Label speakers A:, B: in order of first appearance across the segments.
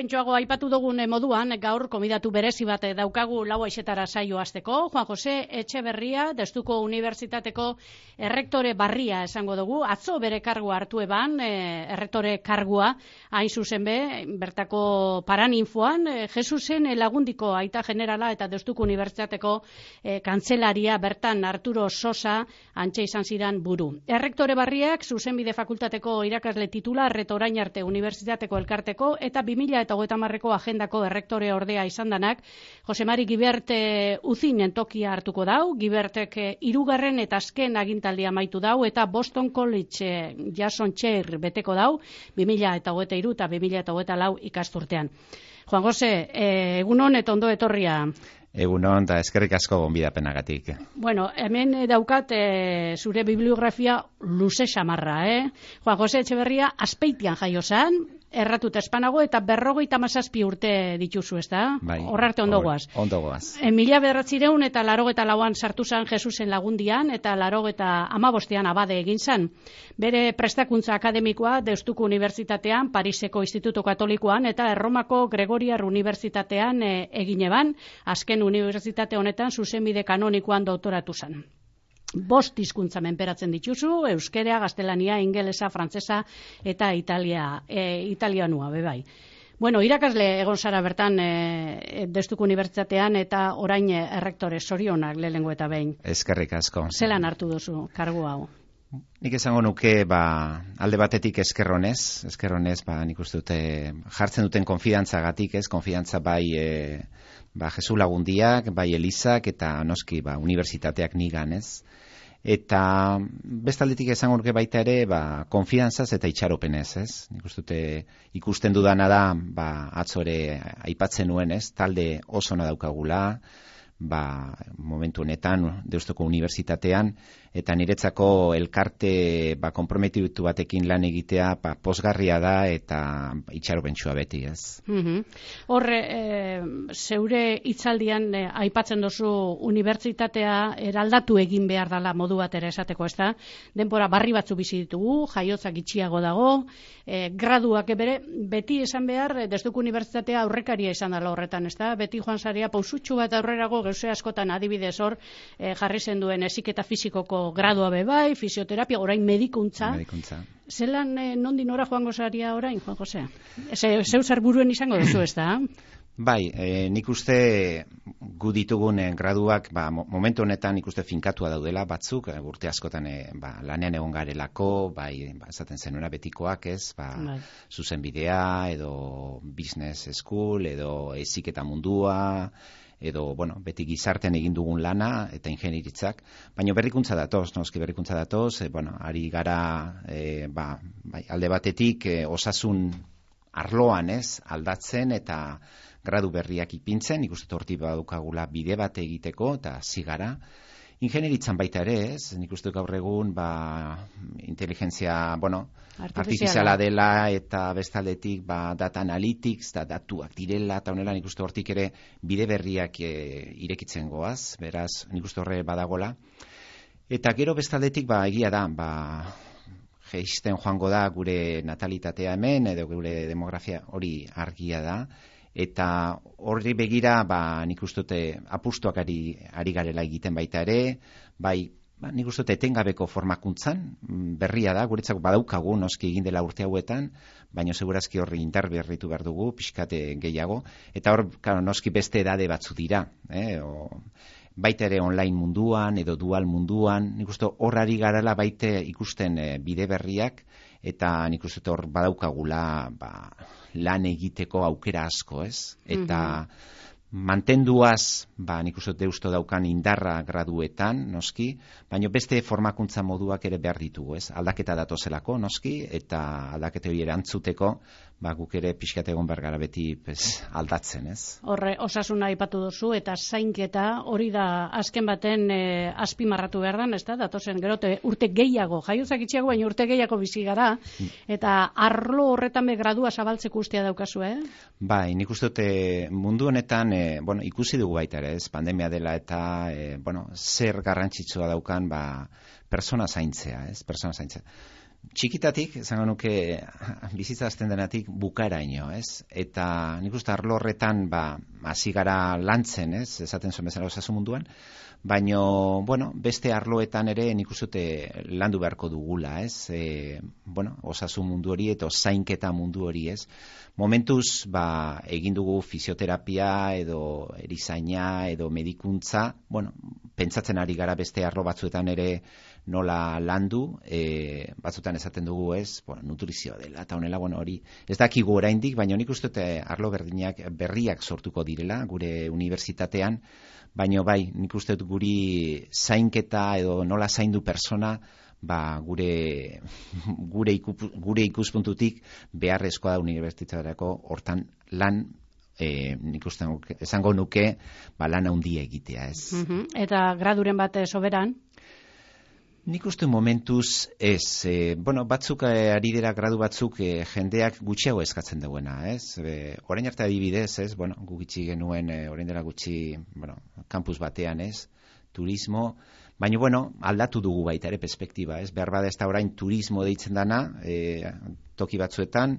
A: Lehentxoago aipatu dugun moduan, gaur komidatu berezi bat daukagu 4:00 saio hasteko. Juan Jose Etxeberria, Deustuko Unibertsitateko errektore barria esango dugu. Atzo bere kargua hartu eban, errektore kargua, hain zuzen bertako Paraninfoan, Jesusen Lagundiko aita generala eta Deustuko Unibertsitateko kantzelaria bertan Arturo Sosa antxe izan ziren buru. Errektore barriak Zuzenbide Fakultateko irakasle titular eta orain arte Unibertsitateko elkarteko eta 2030ko agendako errektore ordea izan danak, Jose Mari Gibert uzinen tokia hartuko dau, Gibertek 3. eta azken agintaldia amaitu dau, eta Boston College Jason Chair beteko dau, 2023 eta 2024 ikasturtean. Juan Jose, egunon eta ondo etorria.
B: Egunon, eta eskerrik asko gonbidapenagatik.
A: Bueno, hemen daukat zure bibliografia luze xamarra, Juan Jose Etxeberria Azpeitian jaio zan, erratuta espanago, eta 57 urte dituzu, ez da?
B: Bai.
A: Horrarte ondo goaz.
B: Ondo goaz.
A: 1984 sartu zan Jesusen Lagundian, eta 85 abade egin zan. Bere prestakuntza akademikoa Deustuko Unibertsitatean, Pariseko Instituto Katolikoan, eta Erromako Gregoriar Unibertsitatean egin eban, azken unibertsitate honetan zuzenbide kanonikoan doktoratu zan. 5 hizkuntza menperatzen dituzu, euskera, gaztelania, ingelesa, frantsesa eta italianua, bebai. Bueno, irakasle egon zara bertan Deustuko Unibertsitatean eta orain errektore, zorionak lehenengo eta behin.
B: Eskerrik asko.
A: Zelan hartu duzu kargu hau?
B: Nik esango nuke, alde batetik eskerronez, nik uste dute jartzen duten konfidantzagatik, konfidantza bai Jesu Lagundiak, bai Elizak eta noski unibertsitateak nigan, Eta bestaldetik esango nuke baita ere, konfidantzaz eta itxaropenez, Nik uste dute ikusten dudana da, atzore aipatzen nuen, talde oso na daukagula, momentu honetan Deustuko Unibertsitatean, eta niretzako elkarte konprometitu batekin lan egitea pozgarria da eta itxaropentsua beti,
A: Horre, zeure hitzaldian aipatzen duzu unibertsitatea eraldatu egin behar dela modu bat ere esateko, ez da? Denbora barri batzu bizi ditugu, jaiotzak itxiago dago, graduak beti esan behar, Deustuko Unibertsitatea aurrekaria izan dela horretan, ez da? Beti joan zaria pausutxu bat aurrerago, gauze askotan adibidez hor, jarri zen duen heziketa fisikoko gradua bebai, fisioterapia, orain medikuntza. Zelan nondi nora joango zaria orain, Juan Jose? Zeu zer buruen izango duzu, ez da?
B: Bai, nik uste gu ditugun graduak, momentu honetan nik uste finkatua daudela batzuk, urte askotan lanean egon garelako, esaten zenuena betikoak, zuzenbidea, edo business school, edo heziketa mundua, edo, beti gizartean egin dugun lana eta ingenieritzak, baina berrikuntza datoz, ari gara, alde batetik osasun arloan, aldatzen eta gradu berriak ipintzen, ikusten hortik badukagula bide bat egiteko, eta zigara. Ingenieritzan baita ere, nik uste gaur egun, inteligentzia, artifiziala dela, eta bestaldetik, data analytics, datuak direla, eta honela nik uste hortik ere bide berriak irekitzen goaz, beraz, nik uste horre badagola. Eta gero bestaldetik, egia da, geisten joango da gure natalitatea hemen, edo gure demografia hori argia da, eta horri begira, nik uste dute apustuak ari garela egiten baita ere, nik uste dute etengabeko formakuntzan, berria da, guretzako badaukagu, noski egin dela urte hauetan, baina segurazki horri interberritu behar dugu, pixkate gehiago, eta hor, noski beste edade batzu dira, baita ere online munduan, edo dual munduan, nik uste hor ari garela baite ikusten bide berriak, eta nik uste hor badaukagula lan egiteko aukera asko, Eta mantenduaz, nik uste deusto daukan indarra graduetan, noski, baina beste formakuntza moduak ere behar ditugu, Aldaketa datozelako, noski, eta aldaketa hori erantzuteko, guk ere pixkat egon behar gara beti aldatzen,
A: Horre, osasuna aipatu duzu, eta zainketa hori da azken baten azpimarratu behar dan, ez da? Datozen, gerote, urte gehiago, jaiozak itxiago, baina urte gehiago bizi gara, eta arlo horretan gradua zabaltzeko ustea daukazu,
B: Bai, nik uste dute mundu honetan, ikusi dugu baita ere, pandemia dela eta, zer garrantzitsua daukan, persona zaintzea, Txikitatik, esango nuke, bizitza hasten denatik bukaeraino, ez? Eta nik uste arlo horretan, hasi gara lantzen, ez? Esaten zuen bezala osasun munduan, baino, bueno, beste arloetan ere nik uste landu beharko dugula, ez? Osasun mundu hori eta zainketa mundu hori, ez? Momentuz, egin dugu fisioterapia edo erizaina edo medikuntza, pentsatzen ari gara beste arlo batzuetan ere nola landu, batzutan esaten dugu, ez, nutrizioa dela, eta honela, hori, ez dakigu oraindik, baina nik uste arlo berriak sortuko direla, gure unibertsitatean, baina bai, nik uste guri zainketa edo nola zaindu persona, gure ikuspuntutik beharrezkoa da unibertsitaterako hortan lan, nik uste esango nuke, lan handia egitea, ez.
A: Eta graduren bat soberan?
B: Nik uste momentuz ez, batzuk ari dira gradu batzuk jendeak gutxiago eskatzen duena, ez? Orain arte adibidez, ez? Gutxi genuen, orain dela gutxi, kampus batean, ez? Turismo, baina, aldatu dugu baita ere perspektiba, ez? Behar bada ez da orain turismo deitzen dana, toki batzuetan,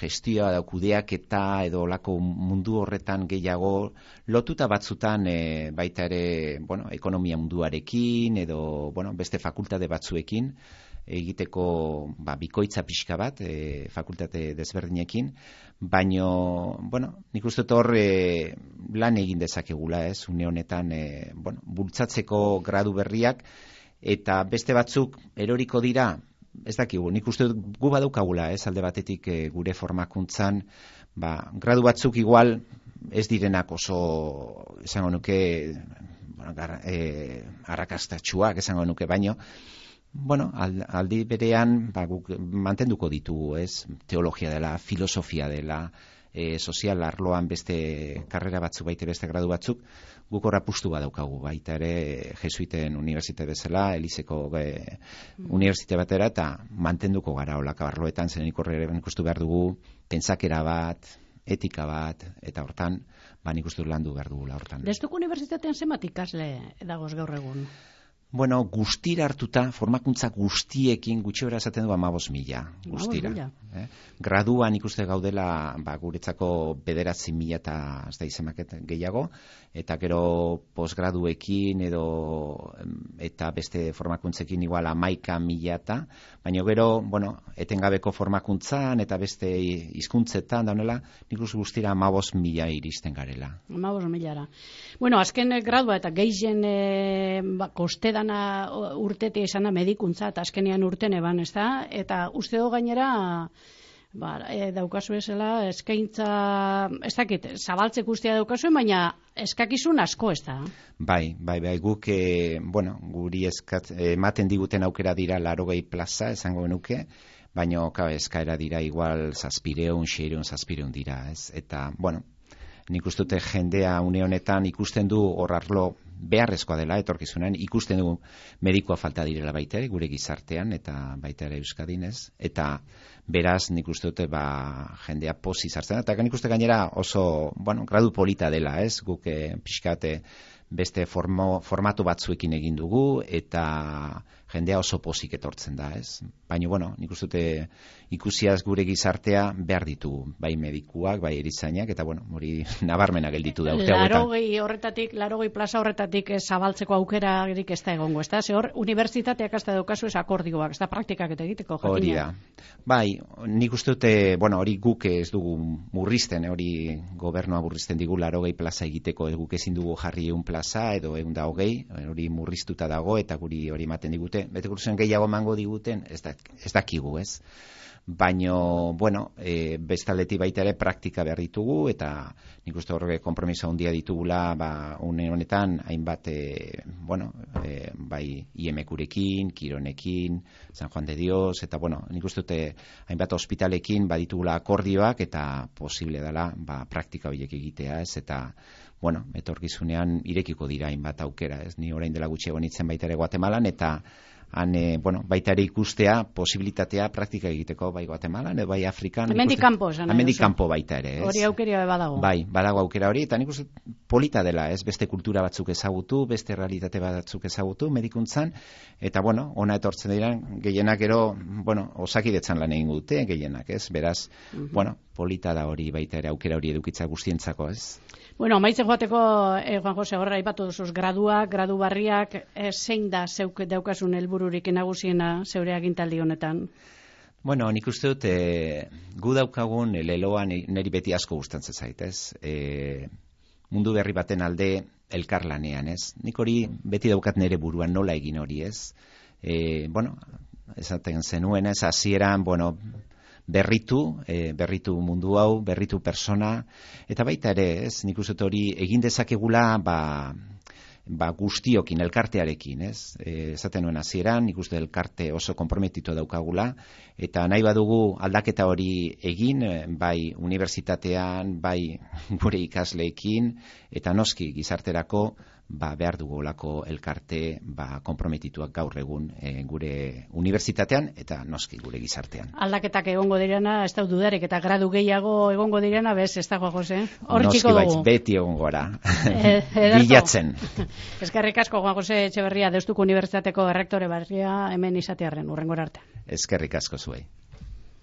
B: gestioa da kudeaketa edo lako mundu horretan gehiago lotuta batzutan baita ere, ekonomia munduarekin edo, beste fakultate batzuekin egiteko bikoitza pixka bat, fakultate desberdinekin, baino, nik uste hor lan egin dezakegula, ez, une honetan, bultzatzeko gradu berriak, eta beste batzuk eroriko dira, ez dakigu, nik uste gu badaukagula, ez, alde batetik gure formakuntzan, gradu batzuk igual ez direnak oso, esango nuke, arrakastatsuak, esango nuke, baino, aldi berean, guk mantenduko ditugu, ez, teologia dela, filosofia dela, sozial arloan beste karrera batzuk, baita beste gradu batzuk, guk horra pustu badaukagu, baita ere jesuiten unibertsitate bezala, Elizeko unibertsitate batera, eta mantenduko gara olaka arloetan, zen nik horre ikustu behar dugu, pentsakera bat, etika bat, eta hortan, nik uste landu behar dugula hortan.
A: Deustuko unibertsitatean zenbat ikasle dagoz gaur egun?
B: Guztira hartuta, formakuntza guztiekin gutxi bera esaten du 15.000 guztira. Graduan ikuste gaudela guretzako 9.000 eta ez da izenbaket gehiago, eta gero posgraduekin eta beste formakuntzekin igual 11.000, baina gero, etengabeko formakuntzan eta beste hizkuntzetan daunela, nik uste guztira 15.000 iristen garela.
A: 15.000. Azken gradua eta gehien kosteda urtetea izan da medikuntza, eta azkenean urten eban, ez da? Eta uste do gainera, daukazu ezela, eskaintza, ez dakit, zabaltzek ustea daukazuen, baina eskakizun asko, ez da?
B: Bai, guk, guri ematen diguten aukera dira 80 plaza, esango genuke, baina eskaera dira igual 700 dira, ez? Eta, nik ustute jendea une honetan ikusten du hor arlo beharrezkoa dela etorkizunean, ikusten du medikoa falta direla baita ere, gure gizartean, eta baita ere Euskadin, ez? Eta beraz nik uste dute jendea pozik sartzen, eta nik uste gainera oso, gradu polita dela, ez? Guk pixkate beste formatu batzuekin egin dugu, eta jendea oso pozik etortzen da, ez? Baina, nik uste dute ikusiaz gure gizartea behar ditugu, bai medikuak, bai erizainak, eta hori nabarmena gelditu da.
A: 80 plaza horretatik zabaltzeko aukera ez da egongo, ez da? Ze hor, unibertsitateak hasta daukazu ez akordioak, ez da praktikak eta egiteko, jakina.
B: Hori da. Bai, nik uste dute, hori guk ez dugu murrizten, hori gobernua murrizten digu 80 plaza egiteko, guk ezin dugu jarri 1 plaza edo 120, hori murriztuta dago, eta guri hori ematen digute, bete kursen gehiago emango diguten, ez dakigu, ez? Baina, bestaldetik baita ere praktika behar ditugu, eta nik uste horre konpromiso handia ditugula, une honetan, hainbat, bai IMQ-rekin, Kironekin, San Juan de Dios, eta nik uste dute hainbat ospitalekin baditugula akordioak, eta posible dela, praktika horiek egitea, ez? Eta, etorkizunean irekiko dira hainbat aukera, ez? Ni orain dela gutxiago nintzen baita ere Guatemalan, eta baita ere ikustea posibilitatea praktika egiteko bai Guatemalan, bai Afrikan.
A: Hemendik kanpo,
B: hemendik kanpo baita ere, ez?
A: Hori aukeria badago.
B: Bai, badago aukera hori, eta nik uste polita dela, ez, beste kultura batzuk ezagutu, beste realitate batzuk ezagutu medikuntzan, eta bueno, ona etortzen diren gehienak gero, bueno, osakidetzan lan egin dute gehienak, ez, beraz, bueno, polita da hori baita ere aukera hori edukitza guztientzako, ez.
A: Bueno, amaitzen joateko, Juan Jose, horra aipatu duzuz, gradu barriak, zein da zeuk daukasun helbururik nagusiena zeure agintaldi honetan?
B: Bueno, nik uste dut, gu daukagun leloan niri beti asko gustatzen zait, ez? Mundu berri baten alde elkarlanean, ez? Nik hori beti daukat nire buruan nola egin hori, ez? Bueno, esaten zenuen, ez? Hasieran, bueno, berritu mundu hau, berritu persona, eta baita ere, ez? Nik uste dut hori egin dezakegula, guztiokin, elkartearekin, ez? Esaten nuen hasieran, nik uste elkarte oso konprometitu daukagula, eta nahi badugu aldaketa hori egin, bai unibertsitatean, bai gure ikasleekin, eta noski gizarterako, behar dugulako elkarte konprometituak gaur egun gure unibertsitatean, eta noski gure gizartean.
A: Aldaketak egongo direna, ez da dudarik, eta gradu gehiago egongo direna, bez, ez da, Juan Jose? Hor txiko dugu.
B: Noski beti egongo gara. Bilatzen.
A: Eskerrik asko, Juan Jose Etxeberria, Deustuko Unibertsitateko errektore berria hemen izatearren, hurrengora arte.
B: Eskerrik asko zuei.